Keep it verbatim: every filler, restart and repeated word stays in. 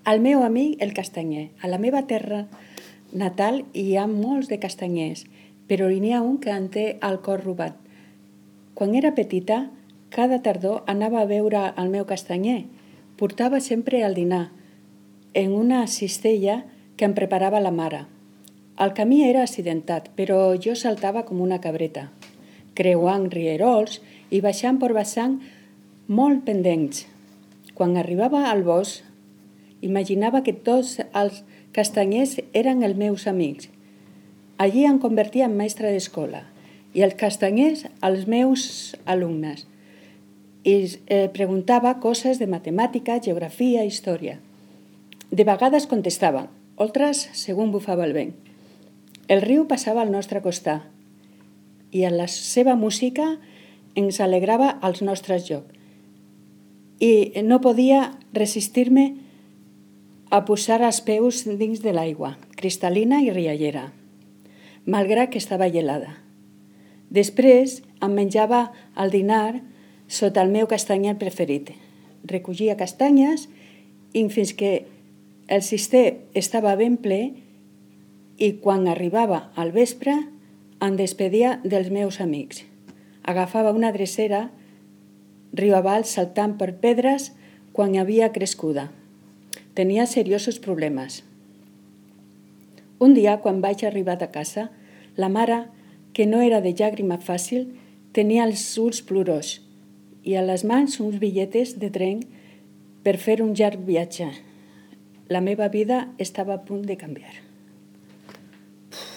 al meu amic el castanyer. A la meva terra natal hi ha molts de castanyers, però n'hi ha un que en té el cor robat. Quan era petita, cada tardor anava a veure el meu castanyer. Portava sempre el dinar, en una cistella que em preparava la mare. El camí era accidentat, però jo saltava com una cabreta, creuant rierols i baixant per vessant molt pendents. Quan arribava al bosc, imaginava que tots els castanyers eren els meus amics. Allí em convertia en mestra d'escola i els castanyers els meus alumnes. I eh, preguntava coses de matemàtica, geografia, història. De vegades contestaven, altres segons bufava el vent. El riu passava al nostre costat i en la seva música ens alegrava els nostres jocs. I no podia resistir-me a posar els peus dins de l'aigua, cristal·lina i riallera, malgrat que estava gelada. Després em menjava el dinar sota el meu castanyer preferit. Recollia castanyes i fins que el cister estava ben ple i quan arribava al vespre em despedia dels meus amics. Agafava una drecera riu avall saltant per pedres quan havia crescuda. Tenia seriosos problemes. Un dia, quan vaig arribar a casa, la mare, que no era de llàgrima fàcil, tenia els ulls plorós i a les mans uns bitlletes de tren per fer un llarg viatge. La meva vida estava a punt de canviar.